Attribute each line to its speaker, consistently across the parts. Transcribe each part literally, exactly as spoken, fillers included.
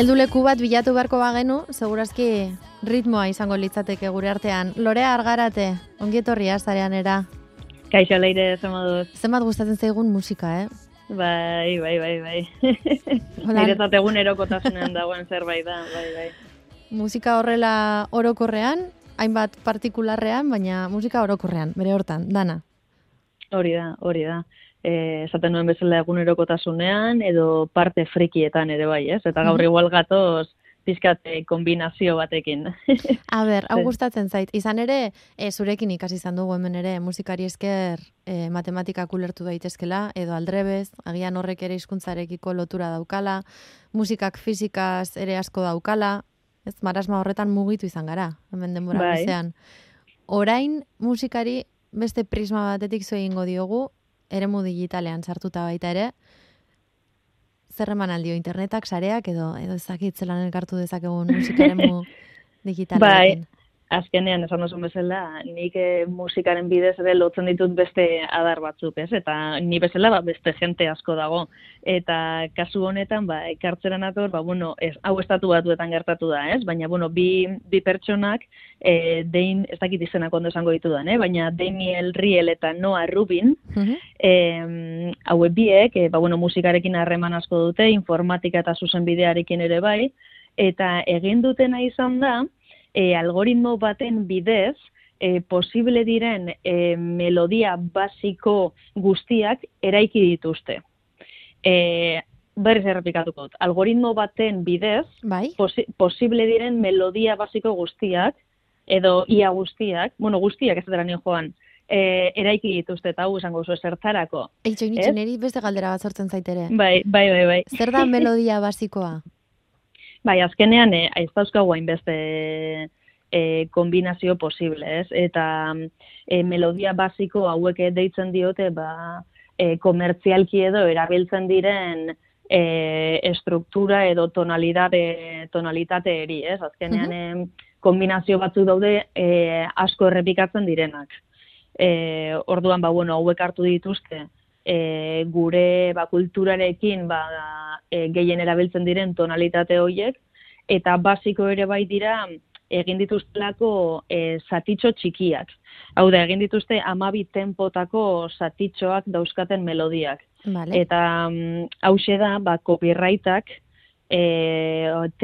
Speaker 1: Helduleku bat bilatu beharko bagenu, segurazki ritmoa izango litzateke gure artean. Lorea Argarate, ongi etorria zarean era.
Speaker 2: Kaixo Leire, zemaduz.
Speaker 1: Zenbat gustatzen zaigun musika, eh?
Speaker 2: Bai, bai, bai, bai. Niretzat egunerokotasunean dagoen zerbait da, bai, bai.
Speaker 1: Musika horrela orokorrean, hainbat partikularrean, baina musika orokorrean, bere hortan, dana.
Speaker 2: Hori da, hori da. Eh, esaten nuen bezala egunerokotasunean edo parte frikietan ere bai, ez? Eta gaur igual gatoz pizkat kombinazio batekin.
Speaker 1: A ber, hau gustatzen zait. Izan ere, e, zurekin ikasi izan dugu hemen ere, musikari esker e, matematikak ulertu daitezkela, edo aldrebez, agian horrek ere hizkuntzarekiko lotura daukala, musikak fizikaz ere asko daukala, ez, marasma horretan mugitu izan gara, hemen denbora
Speaker 2: bai.
Speaker 1: Bizean. Orain musikari beste prisma batetik zo egingo diogu, eremu digitalean sartuta baita ere, zer eman aldio internetak, sareak, edo edo ezakit zelan elkartu dezakegun musikaremu digitalekin.
Speaker 2: Bai, azkenean esan duzun bezala, nik eh, musikaren bidez ere lotzen ditut beste adar batzuk, ez? Eta ni bezala ba, beste jente asko dago. Eta kasu honetan, ba, ekartzera nator, ba, bueno, ez, hau estatu batuetan gertatu da, ez? Baina, bueno, bi, bi pertsonak, eh, dein, ez dakit izenak ondo esango ditudan, eh? Baina Daniel Riel eta Noah Rubin, uh-huh. eh, hauek biek, eh, ba, bueno, musikarekin harreman asko dute, informatika eta zuzenbidearekin ere bai, eta egin dutena izan da, E, algoritmo baten bidez, e, posible diren e, melodia basiko guztiak eraiki dituzte. E, berriz errepikatuko dut. Algoritmo baten bidez,
Speaker 1: bai?
Speaker 2: posi, posible diren melodia basiko guztiak, edo ia guztiak, bueno, guztiak ez dara nio joan, e, eraiki dituzte, eta hau esango zu zertarako.
Speaker 1: Eitxo, nitxo, niri beste galdera bat sortzen zaitere.
Speaker 2: Bai, bai, bai, bai.
Speaker 1: Zer da melodia basikoa?
Speaker 2: Bai, azkenean eh, ez dauzkagu hainbeste e, kombinazio posible, ez? Eta e, melodia basiko hauek deitzen diote, ba, e, komertzialki edo erabiltzen diren e, estruktura edo tonalitate, tonalitate eri, ez? Azkenean uh-huh. e, kombinazio batzuk daude e, asko errepikatzen direnak. E, orduan, ba, bueno, hauek hartu dituzte, E, gure ba, kulturarekin ba, e, gehien erabiltzen diren tonalitate horiek, eta basiko ere bai dira egin dituztelako e, zatitxo txikiak. Hau da, egin dituzte hamabi tempotako zatitxoak dauzkaten melodiak.
Speaker 1: Vale.
Speaker 2: Eta um, hause da, ba, copyrightak e,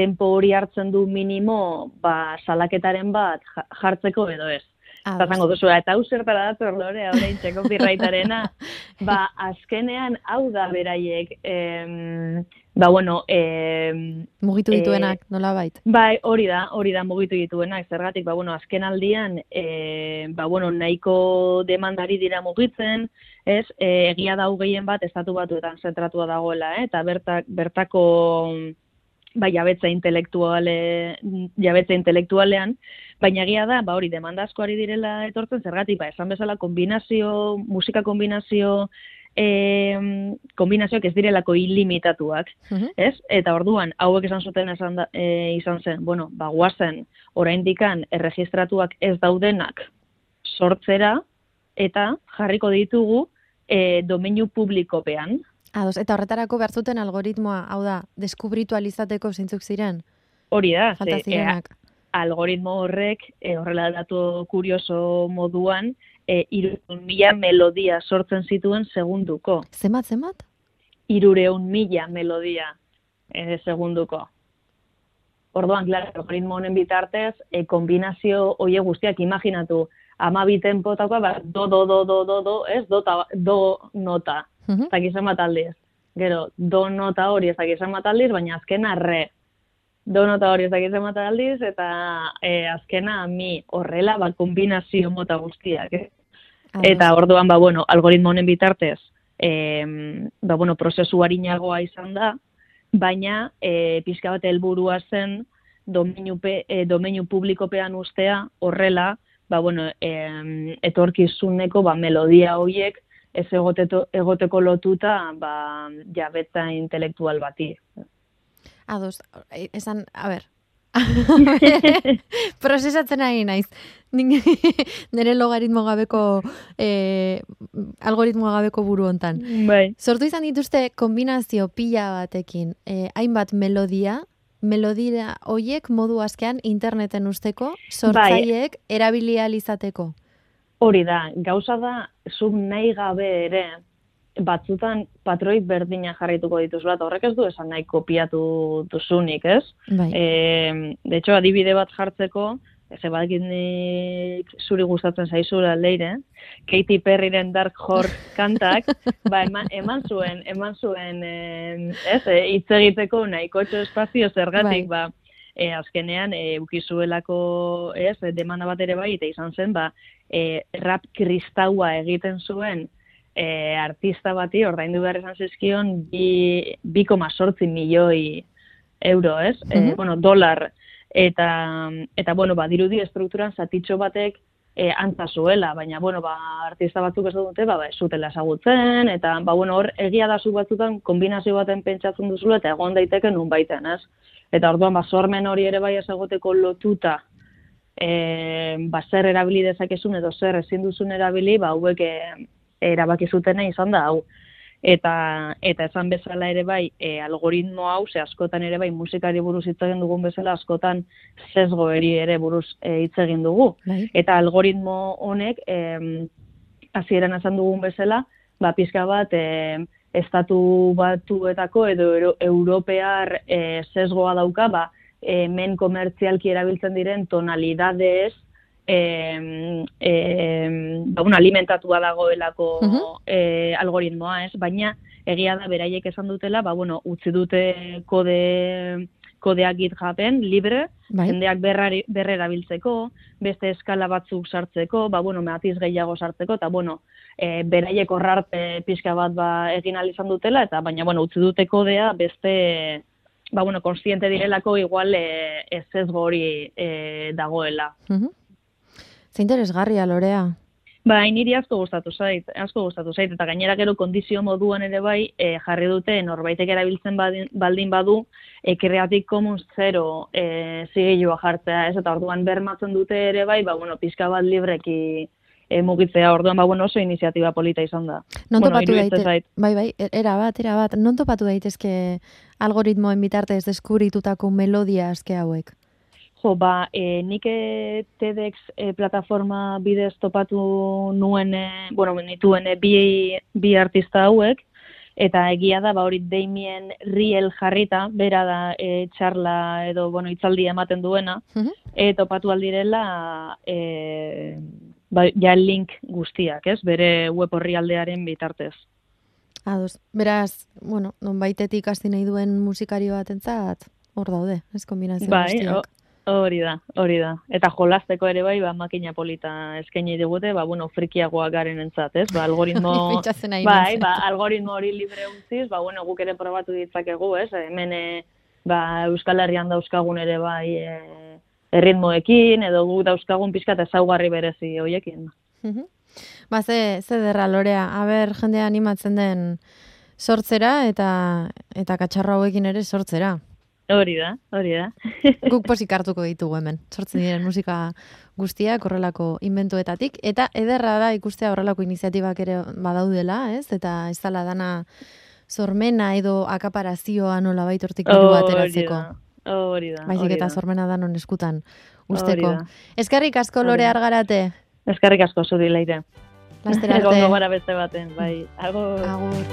Speaker 2: tempo hori hartzen du minimo ba, salaketaren bat jartzeko edo ez.
Speaker 1: Ah,
Speaker 2: eta zango duzu, eta hau zertara dator Lorea, orain txeko copyrightarena, ba, azkenean hau da beraiek, em, ba, bueno, em,
Speaker 1: mugitu dituenak, e, nola bait?
Speaker 2: Bai, hori da, hori da mugitu dituenak, zergatik, ba, bueno, azken aldian, e, ba, bueno, nahiko demandari dira mugitzen, ez, e, egia da gehien bat, estatu batuetan zentratua dagoela, eh? Eta bertak, bertako, ba, jabetza intelektuale, jabetza intelektualean, baina egia da, ba hori, demanda asko ari direla etortzen zergatik, ba, esan bezala kombinazio, musika kombinazio, e, kombinazioak ez direlako ilimitatuak, uh-huh. ez? Eta orduan, hauek esan zuten esan da, e, izan zen, bueno, ba, guazen, oraindikan erregistratuak ez daudenak sortzera, eta jarriko ditugu e, domeinu publikopean.
Speaker 1: Ados, eta horretarako behar zuten algoritmoa, hau da, deskubritu alizateko zeintzuk ziren?
Speaker 2: Hori da,
Speaker 1: falta zirenak.
Speaker 2: E, algoritmo horrek, e, horrela datu kurioso moduan, e, irureun mila melodia sortzen zituen segunduko.
Speaker 1: Zemat, zemat?
Speaker 2: Irureun mila melodia e, segunduko. Orduan, klar, algoritmo honen bitartez, e, kombinazio hoie guztiak imaginatu, hamabi tempotako, ba, do, do, do, do, do, do, ez, do, ta, do nota. Uh-huh. Zakizan bat aldiz. Gero, do nota hori ez zakizan bat aldiz, baina azkena re. Do nota hori ez dakizan bat aldiz, eta e, azkena mi horrela, ba, kombinazio mota guztiak. Eh? Eta orduan, ba, bueno, algoritmo honen bitartez, e, ba, bueno, prozesu harinagoa izan da, baina e, pixka bat helburua zen domeinu, pe, e, domeinu publikopean ustea horrela, ba, bueno, e, etorkizuneko ba, melodia horiek ez egoteto, egoteko lotuta ba, jabetza intelektual bati.
Speaker 1: Ados, esan, a ber, prozesatzen ari naiz. Nire logaritmo gabeko, eh, algoritmo gabeko buru hontan.
Speaker 2: Bai.
Speaker 1: Sortu izan dituzte kombinazio pila batekin, eh, hainbat melodia, melodia hoiek modu askean interneten usteko, sortzaileek bai. Erabili ahal izateko.
Speaker 2: Hori da, gauza da, zuk nahi gabe ere, batzutan patroi berdina jarraituko dituzula, eta horrek ez du esan nahi kopiatu duzunik, ez?
Speaker 1: Bai.
Speaker 2: E, de hecho, adibide bat jartzeko, ze badakit zuri gustatzen zaizula leire, Katy Perryren Dark Horse kantak, ba, eman, eman zuen, eman zuen, eh, ez, hitz egiteko nahikotxo espazio zergatik, bai. Ba, e, azkenean, e, ukizuelako, ez, demanda bat ere bai, eta izan zen, ba, e, rap kristaua egiten zuen, E, artista bati ordaindu behar izan zizkion bi koma zortzi milioi euro, ez? Mm-hmm. E, bueno, dolar. Eta, eta bueno, ba, dirudi estrukturan zatitxo batek e, antza zuela, baina, bueno, ba, artista batzuk ez dute, ba, ba, ez zutela ezagutzen, eta, ba, bueno, hor, egia da zu batzutan kombinazio baten pentsatzen duzula, eta egon daiteke nun baiten, ez? Eta orduan, ba, sormen hori ere bai ezagoteko lotuta, e, ba, zer erabili dezakezun edo zer ezin duzun erabili, ba, hauek e, erabaki zutena izan da hau. Eta eta esan bezala ere bai, e, algoritmo hau, ze askotan ere bai musikari buruz hitz egin dugun bezala, askotan sesgoeri ere buruz e, hitz egin dugu. Bai. Eta algoritmo honek, e, hasieran esan dugun bezala, ba, pizka bat, e, estatu batuetako edo euro, europear e, sesgoa dauka, ba, e, men komertzialki erabiltzen diren tonalidadez, Eh, eh, ba, un alimentatua dagoelako uh-huh. eh, algoritmoa, ez? Baina egia da beraiek esan dutela, ba, bueno, utzi dute kode, kodeak GitHuben, libre, bai. Jendeak berrera biltzeko, beste eskala batzuk sartzeko, ba, bueno, matiz gehiago sartzeko, eta, bueno, eh, beraiek horrarte pixka bat ba, egin ahal izan dutela, eta baina, bueno, utzi dute kodea beste, ba, bueno, konstiente direlako igual eh, ez ez hori eh, dagoela.
Speaker 1: Uh-huh. Ze interesgarria, Lorea.
Speaker 2: Ba, niri asko gustatu zait, asko gustatu zait, eta gainera gero kondizio moduan ere bai e, jarri dute norbaitek erabiltzen badin, baldin badu e, Creative Commons zero e, zigilua jartzea, ez, eta orduan bermatzen dute ere bai, ba, bueno, pixka bat libreki e, mugitzea, orduan, ba, bueno, oso iniziatiba polita izan da.
Speaker 1: Non
Speaker 2: bueno,
Speaker 1: topatu daitezke, bai, bai, era bat, era bat, non topatu daitezke algoritmoen bitartez deskubritutako melodia aske hauek?
Speaker 2: Jo, ba, e, nik TEDx e, plataforma bidez topatu nuen, e, bueno, nituen e, bi, bi artista hauek, eta egia da, ba, hori Damien Riel jarrita, bera da e, txarla edo, bueno, itzaldi ematen duena, uh-huh. e, topatu aldirela, e, ba, ja link guztiak, ez, bere web horri aldearen bitartez.
Speaker 1: Ados, beraz, bueno, non baitetik hasi nahi duen musikari batentzat, hor daude, ez kombinazio
Speaker 2: bai,
Speaker 1: guztiak.
Speaker 2: Hori da, hori da. Eta jolasteko ere bai, ba, makina polita eskaini digute, ba, bueno, frikiagoak garen entzat, ez? Ba, algoritmo, bai, ba, algoritmo hori libre utziz, ba, bueno, guk ere probatu ditzakegu, ez? Hemen, e, ba, Euskal Herrian dauzkagun ere bai, e, erritmoekin, edo guk dauzkagun pixka eta ezaugarri berezi hoiekin.
Speaker 1: Ba, ze, ze derra, Lorea, haber jendea animatzen den sortzera, eta, eta katxarro hauekin ere sortzera.
Speaker 2: Hori da, hori da.
Speaker 1: Guk posik hartuko ditugu hemen. Sortzen diren musika guztiak horrelako inventuetatik. Eta ederra da ikustea horrelako iniziatibak ere badaudela, ez? Eta ez dala dana sormena edo akaparazioa nola baitortik diru ateratzeko.
Speaker 2: Hori da,
Speaker 1: baizik eta sormena da non eskutan usteko. Eskerrik asko, Lore Argarate.
Speaker 2: Eskerrik asko zuri, Leire.
Speaker 1: Laster arte.
Speaker 2: Egongo gara beste baten, bai. Agur.
Speaker 1: Agur.